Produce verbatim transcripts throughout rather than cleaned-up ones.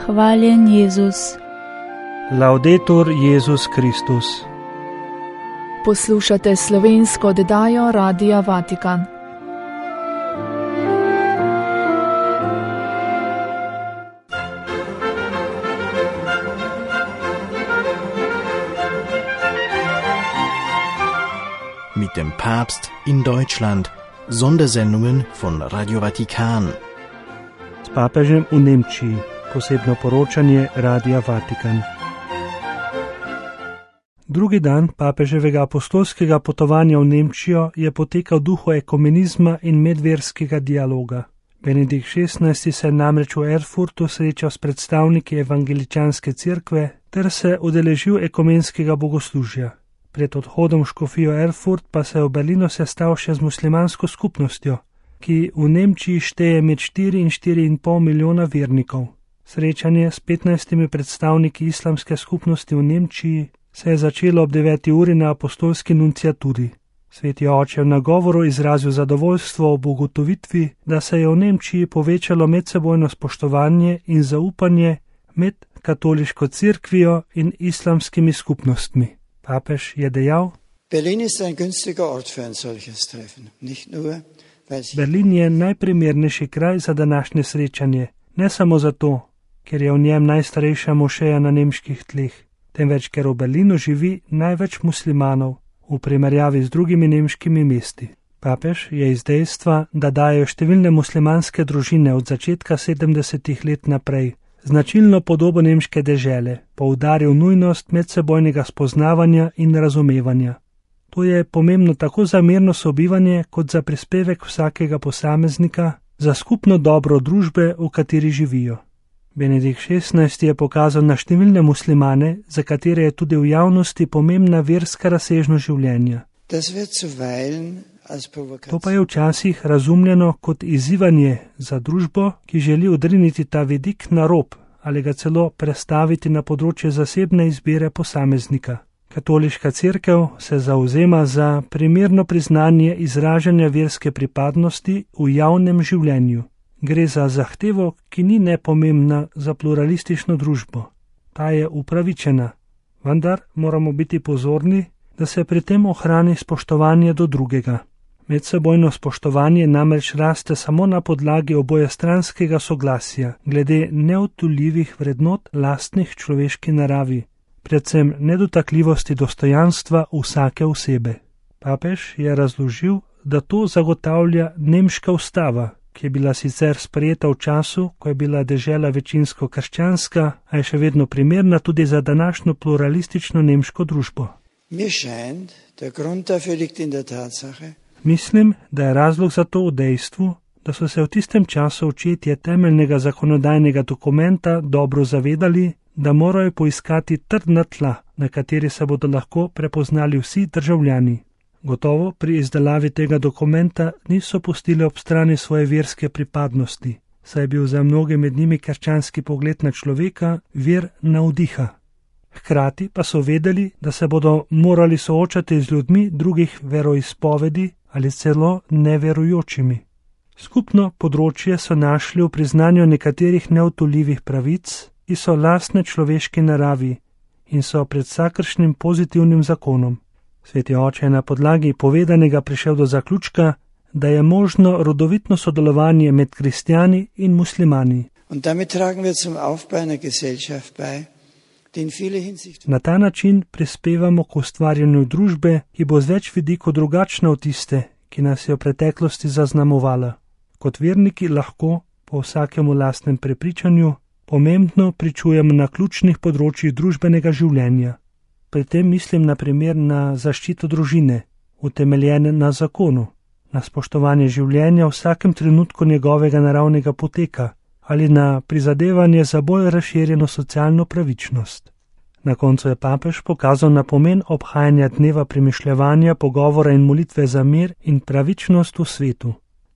Hvaljen Jezus. Laudetur Jezus Kristus. Poslušate slovensko oddajo Radia Vatikan. Mit dem Papst in Deutschland. Sondersendungen von Radio Vatikan. S papežem v Nemčiji. Posebno poročanje Radia Vatikan. Drugi dan papeževega apostolskega potovanja v Nemčijo je potekal v duhu ekumenizma in medverskega dialoga. Benedikt šestnajsti se je namreč v Erfurtu srečal s predstavniki evangeličanske cerkve ter se udeležil ekumenskega bogoslužja. Pred odhodom v škofijo Erfurt pa se je v Berlinu sestal še z muslimansko skupnostjo, ki v Nemčiji šteje med štiri in štiri in pol milijona vernikov. Srečanje s petnajstimi predstavniki islamske skupnosti v Nemčiji se je začelo ob deveti uri na apostolski nunciaturi. Sveti oče v nagovoru izrazil zadovoljstvo ob ugotovitvi, da se je v Nemčiji povečalo medsebojno spoštovanje in zaupanje med katoliško cerkvijo in islamskimi skupnostmi. Papež je dejal: Berlin je najprimernejši kraj za današnje srečanje, ne samo zato, ker je v njem najstarejša mošeja na nemških tleh, temveč ker v Berlinu živi največ muslimanov v primerjavi z drugimi nemškimi mesti. Papež je iz dejstva, da dajo številne muslimanske družine od začetka sedemdesetih let naprej značilno podobo nemške dežele, poudaril nujnost medsebojnega spoznavanja in razumevanja. To je pomembno tako za mirno sobivanje kot za prispevek vsakega posameznika, za skupno dobro družbe, v kateri živijo. Benedikt šestnajsti je pokazal na številne muslimane, za katere je tudi v javnosti pomembna verska razsežnost življenja. To pa je včasih razumljeno kot izzivanje za družbo, ki želi odriniti ta vidik na rob ali ga celo prestaviti na področje zasebne izbire posameznika. Katoliška cerkev se zavzema za primerno priznanje izražanja verske pripadnosti v javnem življenju. Gre za zahtevo, ki ni nepomembna za pluralistično družbo. Ta je upravičena, vendar moramo biti pozorni, da se pri tem ohrani spoštovanje do drugega. Medsebojno spoštovanje namreč raste samo na podlagi obojestranskega soglasja glede neodtujljivih vrednot lastnih človeški naravi, predvsem nedotakljivosti dostojanstva vsake osebe. Papež je razložil, da to zagotavlja nemška ustava, ki je bila sicer sprejeta v času, ko je bila dežela večinsko krščanska, a je še vedno primerna tudi za današnjo pluralistično nemško družbo. Mislim, da je razlog za to v dejstvu, da so se v tistem času očetje temeljnega zakonodajnega dokumenta dobro zavedali, da morajo poiskati trdna tla, na kateri se bodo lahko prepoznali vsi državljani. Gotovo pri izdelavi tega dokumenta niso pustili ob strani svoje verske pripadnosti, saj je bil za mnoge med njimi krščanski pogled na človeka vir navdiha. Hkrati pa so vedeli, da se bodo morali soočati z ljudmi drugih veroizpovedi ali celo neverujočimi. Skupno področje so našli v priznanju nekaterih neodtujljivih pravic, ki so lastne človeški naravi in so pred vsakršnim pozitivnim zakonom. Sveti oče je na podlagi povedanega prišel do zaključka, da je možno rodovitno sodelovanje med kristjani in muslimani. Na ta način prispevamo k ustvarjanju družbe, ki bo z več vidikov drugačna od tiste, ki nas je v preteklosti zaznamovala. Kot verniki lahko, po vsakemu lastnem prepričanju, pomembno pričujemo na ključnih področjih družbenega življenja. Pri tem mislim na primer na zaščito družine, utemeljene na zakonu, na spoštovanje življenja v vsakem trenutku njegovega naravnega poteka ali na prizadevanje za bolj razširjeno socialno pravičnost. Na koncu je papež pokazal na pomen obhajanja dneva premišljevanja, pogovora in molitve za mir in pravičnost v svetu.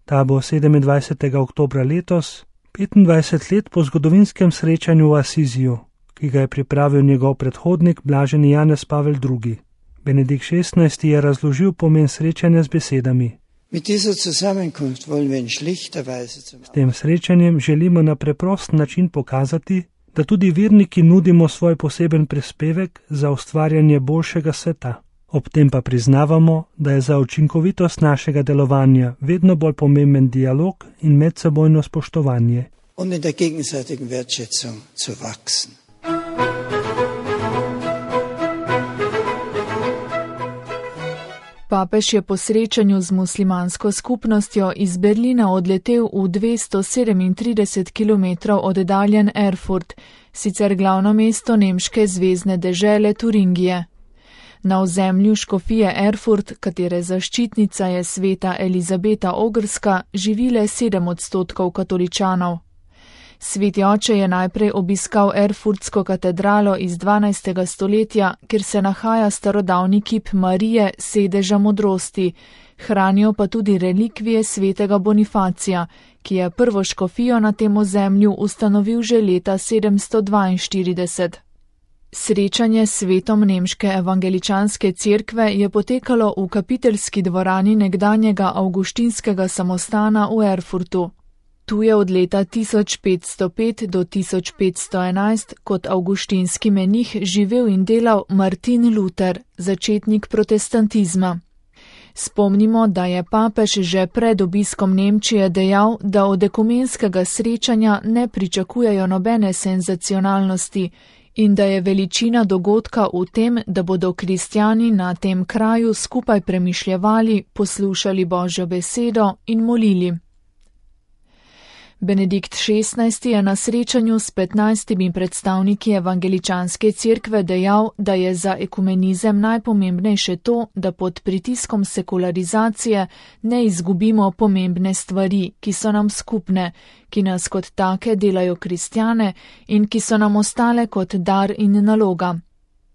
Ta bo sedemindvajsetega oktobra letos, petindvajset let po zgodovinskem srečanju v Asiziju, ki ga je pripravil njegov predhodnik blaženi Janez Pavel drugi. Benedikt šestnajsti je razložil pomen srečanja z besedami: S tem srečanjem želimo na preprost način pokazati, da tudi verniki nudimo svoj poseben prispevek za ustvarjanje boljšega sveta. Ob tem pa priznavamo, da je za učinkovitost našega delovanja vedno bolj pomemben dialog in medsebojno spoštovanje. Papež je po srečanju z muslimansko skupnostjo iz Berlina odletel v dvesto sedemintrideset kilometrov oddaljen Erfurt, sicer glavno mesto nemške zvezne dežele Turingije. Na ozemlju škofije Erfurt, katere zaščitnica je sveta Elizabeta Ogrska, živi le sedem odstotkov katoličanov. Sveti oče je najprej obiskal Erfurtsko katedralo iz dvanajstega stoletja, kjer se nahaja starodavni kip Marije, sedeža modrosti, hranijo pa tudi relikvije svetega Bonifacija, ki je prvo škofijo na tem ozemlju ustanovil že leta sedemsto dvainštirideset. Srečanje s svetom nemške evangeličanske cerkve je potekalo v kapiteljski dvorani nekdanjega avguštinskega samostana v Erfurtu. Tu je od leta tisoč petsto pet do tisoč petsto enajst kot avguštinski menih živel in delal Martin Luther, začetnik protestantizma. Spomnimo, da je papež že pred obiskom Nemčije dejal, da od ekumenskega srečanja ne pričakujejo nobene senzacionalnosti in da je veličina dogodka v tem, da bodo kristjani na tem kraju skupaj premišljevali, poslušali Božjo besedo in molili. Benedikt šestnajsti je na srečanju s petnajstimi predstavniki evangeličanske cerkve dejal, da je za ekumenizem najpomembnejše to, da pod pritiskom sekularizacije ne izgubimo pomembne stvari, ki so nam skupne, ki nas kot take delajo kristjane in ki so nam ostale kot dar in naloga.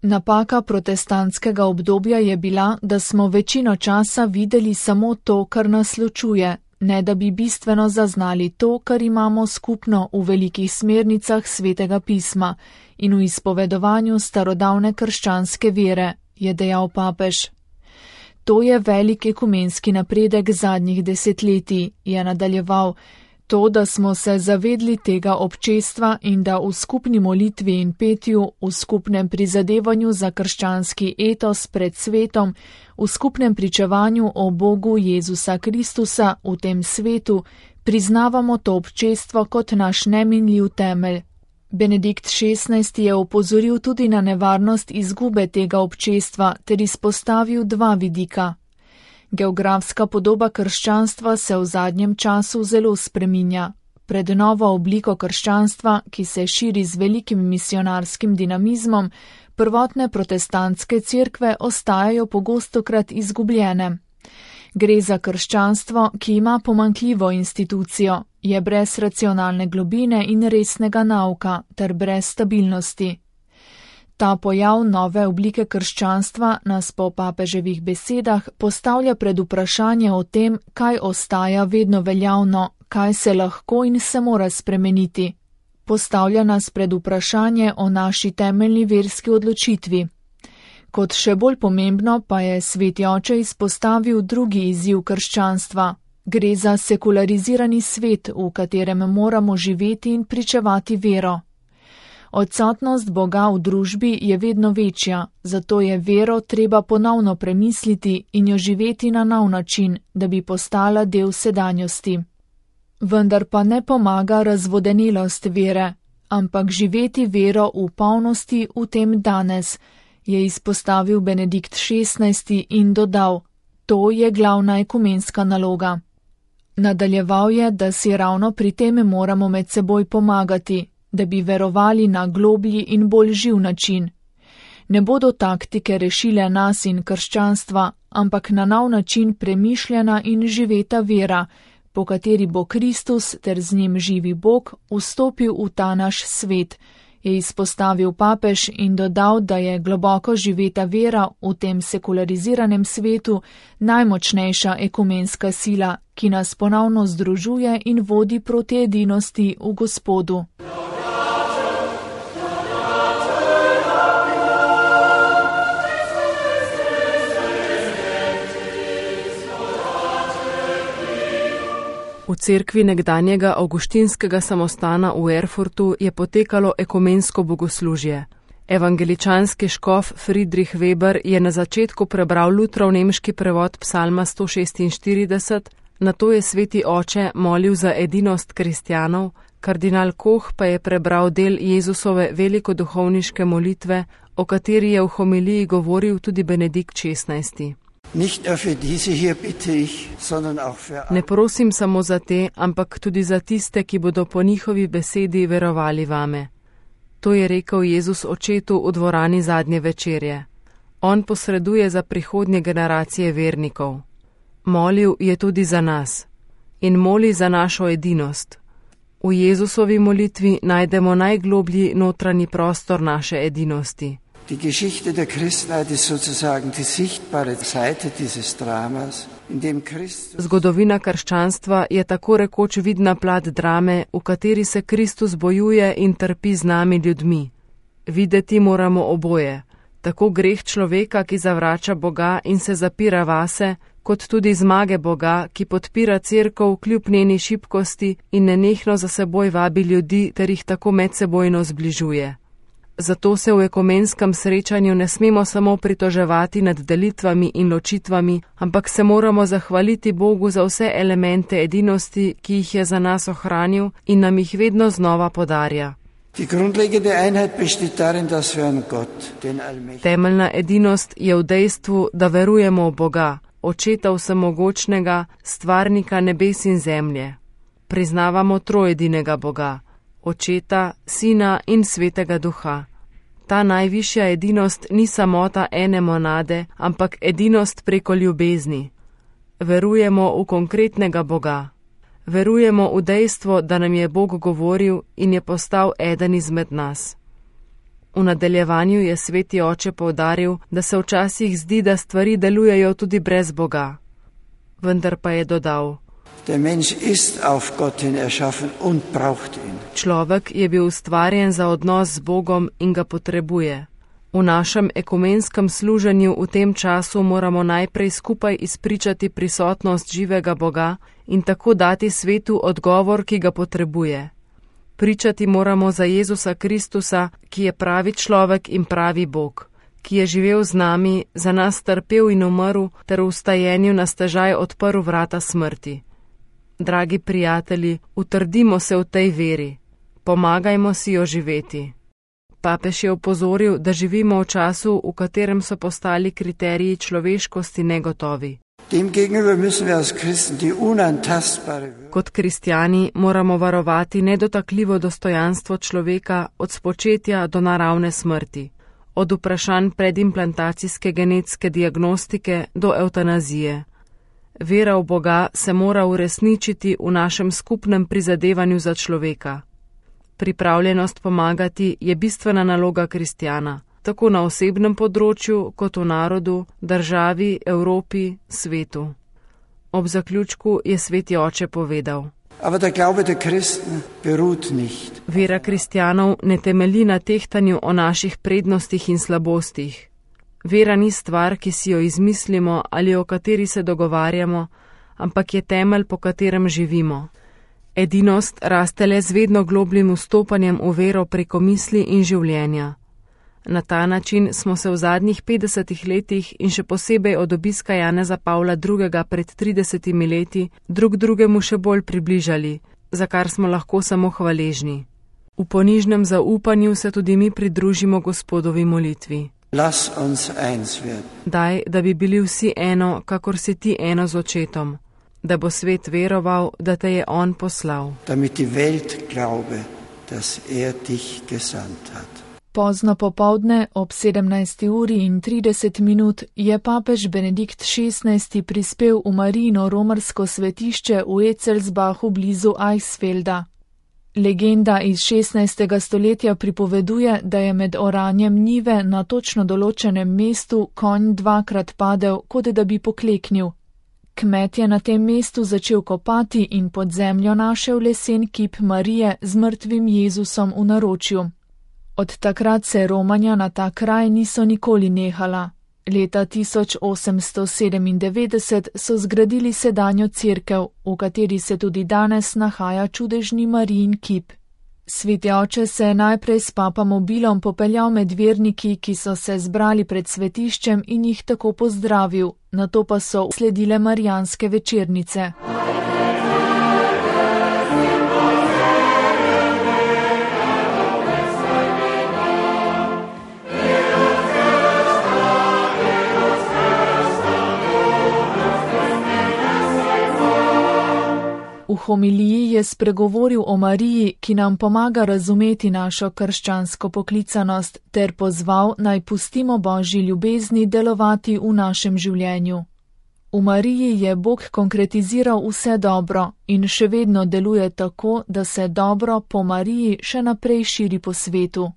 Napaka protestantskega obdobja je bila, da smo večino časa videli samo to, kar nas ločuje, ne da bi bistveno zaznali to, kar imamo skupno v velikih smernicah svetega pisma in v izpovedovanju starodavne krščanske vere, je dejal papež. To je velik ekumenski napredek zadnjih desetletij, je nadaljeval. To, da smo se zavedli tega občestva in da v skupni molitvi in petju, v skupnem prizadevanju za krščanski etos pred svetom, v skupnem pričevanju o Bogu Jezusa Kristusa v tem svetu, priznavamo to občestvo kot naš neminljiv temelj. Benedikt šestnajsti je opozoril tudi na nevarnost izgube tega občestva ter izpostavil dva vidika. Geografska podoba krščanstva se v zadnjem času zelo spreminja. Pred novo obliko krščanstva, ki se širi z velikim misionarskim dinamizmom, prvotne protestantske cerkve ostajajo pogostokrat izgubljene. Gre za krščanstvo, ki ima pomanjkljivo institucijo, je brez racionalne globine in resnega nauka ter brez stabilnosti. Ta pojav nove oblike krščanstva nas po papeževih besedah postavlja pred vprašanje o tem, kaj ostaja vedno veljavno, kaj se lahko in se mora spremeniti. Postavlja nas pred vprašanje o naši temeljni verski odločitvi. Kot še bolj pomembno pa je sveti oče izpostavil drugi izziv krščanstva. Gre za sekularizirani svet, v katerem moramo živeti in pričevati vero. Odsotnost Boga v družbi je vedno večja, zato je vero treba ponovno premisliti in jo živeti na nov način, da bi postala del sedanjosti. Vendar pa ne pomaga razvodenelost vere, ampak živeti vero v polnosti v tem danes, je izpostavil Benedikt šestnajsti in dodal, to je glavna ekumenska naloga. Nadaljeval je, da si ravno pri tem moramo med seboj pomagati, da bi verovali na globlji in bolj živ način. Ne bodo taktike rešile nas in krščanstva, ampak na nov način premišljena in živeta vera, po kateri bo Kristus ter z njim živi Bog vstopil v ta naš svet je izpostavil papež in dodal, da je globoko živeta vera v tem sekulariziranem svetu najmočnejša ekumenska sila, ki nas ponovno združuje in vodi proti edinosti v Gospodu. V cerkvi nekdanjega avguštinskega samostana v Erfurtu je potekalo ekumensko bogoslužje. Evangeličanski škof Friedrich Weber je na začetku prebral Lutrov nemški prevod psalma sto šestinštirideset, nato je sveti oče molil za edinost kristjanov, kardinal Koh pa je prebral del Jezusove velikoduhovniške molitve, o kateri je v homiliji govoril tudi Benedikt šestnajsti. Ne prosim samo za te, ampak tudi za tiste, ki bodo po njihovi besedi verovali vame. To je rekel Jezus očetu v dvorani zadnje večerje. On posreduje za prihodnje generacije vernikov. Molil je tudi za nas in moli za našo edinost. V Jezusovi molitvi najdemo najgloblji notranji prostor naše edinosti. Die Geschichte der Christenheit ist sozusagen die sichtbare Seite dieses Dramas, in dem Christus... Zgodovina krščanstva je tako rekoč vidna plat drame, v kateri se Kristus bojuje in trpi z nami ljudmi. Videti moramo oboje, tako greh človeka, ki zavrača Boga in se zapira vase, kot tudi zmage Boga, ki podpira cerkev kljub njeni šibkosti in nenehno za seboj vabi ljudi ter jih tako medsebojno zbližuje. Zato se v ekumenskem srečanju ne smemo samo pritoževati nad delitvami in ločitvami, ampak se moramo zahvaliti Bogu za vse elemente edinosti, ki jih je za nas ohranil in nam jih vedno znova podarja. Temeljna edinost je v dejstvu, da verujemo v Boga, Očeta vsemogočnega, stvarnika nebes in zemlje. Priznavamo trojedinega Boga, Očeta, Sina in Svetega Duha. Ta najvišja edinost ni samota ene monade, ampak edinost preko ljubezni. Verujemo v konkretnega Boga. Verujemo v dejstvo, da nam je Bog govoril in je postal eden izmed nas. V nadaljevanju je sveti oče poudaril, da se včasih zdi, da stvari delujejo tudi brez Boga. Vendar pa je dodal: Der Mensch ist auf Gott hin erschaffen und braucht ihn. Človek je bil ustvarjen za odnos z Bogom in ga potrebuje. V našem ekumenskem služenju v tem času moramo najprej skupaj izpričati prisotnost živega Boga in tako dati svetu odgovor, ki ga potrebuje. Pričati moramo za Jezusa Kristusa, ki je pravi človek in pravi Bog, ki je živel z nami, za nas trpel in umrl ter v vstajenju na stežaj odprl vrata smrti. Dragi prijatelji, utrdimo se v tej veri, pomagajmo si jo živeti. Papež je opozoril, da živimo v času, v katerem so postali kriteriji človeškosti negotovi. Kot kristjani moramo varovati nedotakljivo dostojanstvo človeka od spočetja do naravne smrti, od vprašanj predimplantacijske genetske diagnostike do evtanazije. Vera v Boga se mora uresničiti v našem skupnem prizadevanju za človeka. Pripravljenost pomagati je bistvena naloga kristjana, tako na osebnem področju, kot v narodu, državi, Evropi, svetu. Ob zaključku je sveti oče povedal: Vera kristjanov ne temelji na tehtanju o naših prednostih in slabostih. Vera ni stvar, ki si jo izmislimo ali o kateri se dogovarjamo, ampak je temelj, po katerem živimo. Edinost raste le z vedno globljim vstopanjem v vero preko misli in življenja. Na ta način smo se v zadnjih petdesetih letih in še posebej od obiska Janeza Pavla drugega pred tridesetimi leti drug drugemu še bolj približali, za kar smo lahko samo hvaležni. V ponižnem zaupanju se tudi mi pridružimo Gospodovi molitvi. Daj, da bi bili vsi eno, kakor si ti eno z Očetom, da bo svet veroval, da te je On poslal. Pozno popovdne ob sedemnajsti uri in trideset minut je papež Benedikt šestnajsti prispel v Marijino romarsko svetišče v Ecelsbachu blizu Eichsfelda. Legenda iz šestnajstega stoletja pripoveduje, da je med oranjem njive na točno določenem mestu konj dvakrat padel, kot da bi pokleknil. Kmet je na tem mestu začel kopati in pod zemljo našel lesen kip Marije z mrtvim Jezusom v naročju. Od takrat se romanja na ta kraj niso nikoli nehala. Leta tisoč osemsto sedemindevetdeset so zgradili sedanjo cerkev, v kateri se tudi danes nahaja čudežni Marijin kip. Sveti oče se je najprej s papamobilom popeljal med verniki, ki so se zbrali pred svetiščem in jih tako pozdravil, nato pa so sledile marijanske večernice. V homiliji je spregovoril o Mariji, ki nam pomaga razumeti našo krščansko poklicanost, ter pozval, naj pustimo Božji ljubezni delovati v našem življenju. V Mariji je Bog konkretiziral vse dobro in še vedno deluje tako, da se dobro po Mariji še naprej širi po svetu.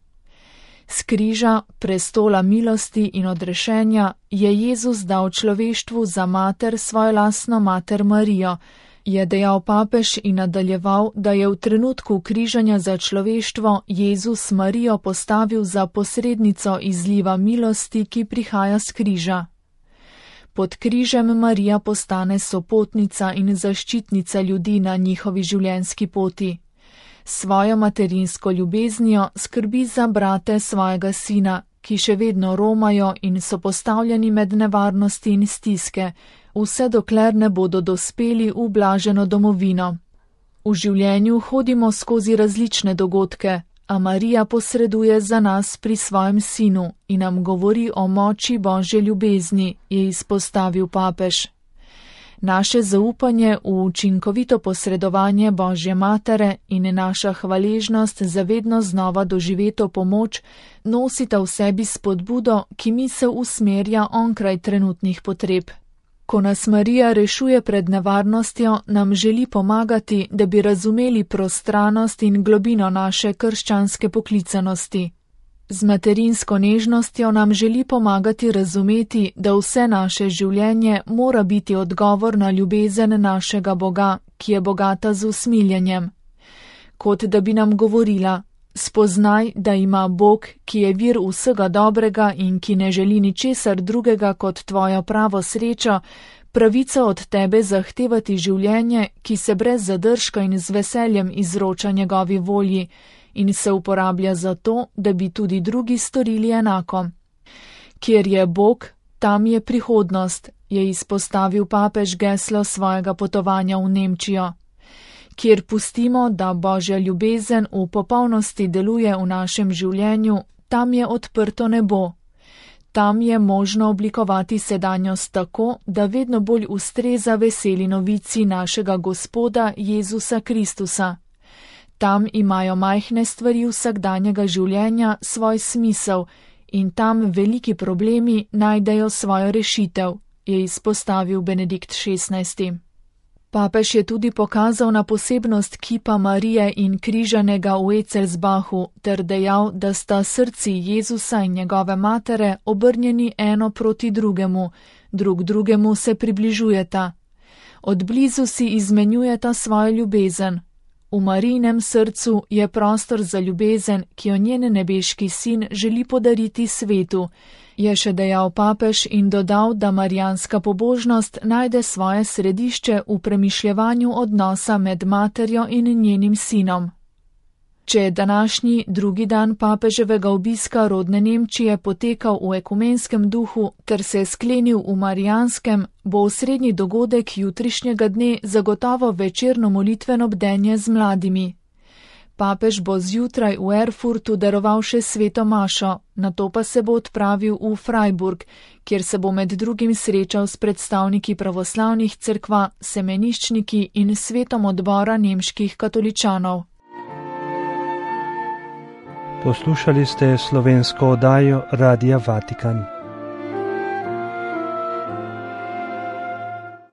S križa, prestola milosti in odrešenja je Jezus dal človeštvu za mater svojo lastno mater Marijo, je dejal papež in nadaljeval, da je v trenutku križanja za človeštvo Jezus Marijo postavil za posrednico izliva milosti, ki prihaja s križa. Pod križem Marija postane sopotnica in zaščitnica ljudi na njihovi življenjski poti. Svojo materinsko ljubeznijo skrbi za brate svojega sina, ki še vedno romajo in so postavljeni med nevarnosti in stiske, vse dokler ne bodo dospeli v blaženo domovino. V življenju hodimo skozi različne dogodke, a Marija posreduje za nas pri svojem sinu in nam govori o moči Božje ljubezni, je izpostavil papež. Naše zaupanje v učinkovito posredovanje Božje matere in naša hvaležnost za vedno znova doživeto pomoč nosita v sebi spodbudo, ki misel usmerja onkraj trenutnih potreb. Ko nas Marija rešuje pred nevarnostjo, nam želi pomagati, da bi razumeli prostranost in globino naše krščanske poklicanosti. Z materinsko nežnostjo nam želi pomagati razumeti, da vse naše življenje mora biti odgovor na ljubezen našega Boga, ki je bogata z usmiljenjem. Kot da bi nam govorila: spoznaj, da ima Bog, ki je vir vsega dobrega in ki ne želi ničesar drugega kot tvojo pravo srečo, pravico od tebe zahtevati življenje, ki se brez zadržka in z veseljem izroča njegovi volji in se uporablja za to, da bi tudi drugi storili enako. Kjer je Bog, tam je prihodnost, je izpostavil papež geslo svojega potovanja v Nemčijo. Kjer pustimo, da Božja ljubezen v popolnosti deluje v našem življenju, tam je odprto nebo. Tam je možno oblikovati sedanjost tako, da vedno bolj ustreza veseli novici našega Gospoda Jezusa Kristusa. Tam imajo majhne stvari vsakdanjega življenja svoj smisel in tam veliki problemi najdejo svojo rešitev, je izpostavil Benedikt šestnajsti. Papež je tudi pokazal na posebnost kipa Marije in križanega v Ecelsbachu ter dejal, da sta srci Jezusa in njegove matere obrnjeni eno proti drugemu, drug drugemu se približujeta. Od blizu si izmenjujeta svojo ljubezen. V Marijinem srcu je prostor za ljubezen, ki jo njen nebeški sin želi podariti svetu, je še dejal papež in dodal, da marijanska pobožnost najde svoje središče v premišljevanju odnosa med materjo in njenim sinom. Če je današnji drugi dan papeževega obiska rodne Nemčije potekal v ekumenskem duhu ter se je sklenil v marijanskem, bo osrednji dogodek jutrišnjega dne zagotovo večerno molitveno bdenje z mladimi. Papež bo zjutraj v Erfurtu daroval še sveto mašo, nato pa se bo odpravil v Freiburg, kjer se bo med drugim srečal s predstavniki pravoslavnih cerkva, semeniščniki in svetom odbora nemških katoličanov. Poslušali ste slovensko oddajo Radia Vatikan.